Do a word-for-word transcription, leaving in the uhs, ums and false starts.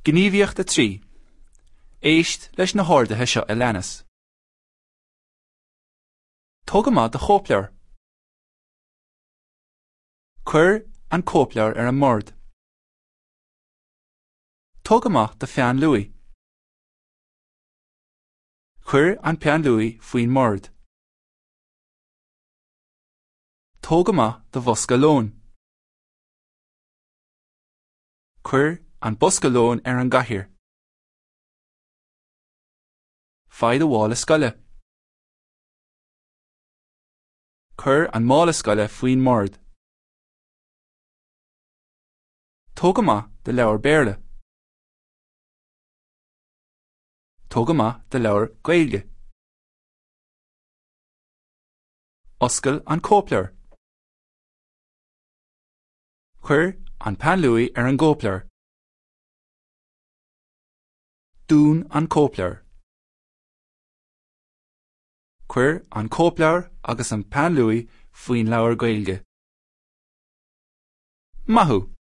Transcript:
Gníomhaíocht a trí. Éist leis na horduithe seo a leanas. Tóg amach do chóipleabhar. Cuir an cóipleabhar ar an mbord. Tóg amach do pheann luaí. Cuir an peann luaí faoin mbord. Tóg amach do bhosca lóin. Cuir an bosca lóin ar an gcathaoir. Faigh do mhála scoile. Cuir an mála scoile faoin mbord. Tóg amach do leabhar Béarla. Tóg amach do leabhar Gaeilge. Oscail an cóipleabhar. Cuir an peann luaí ar an gcóipleabhar. Dún an cóipleabhar. Cuir an cóipleabhar agus an peann luaí faoin leabhar Gaeilge. Maith thú!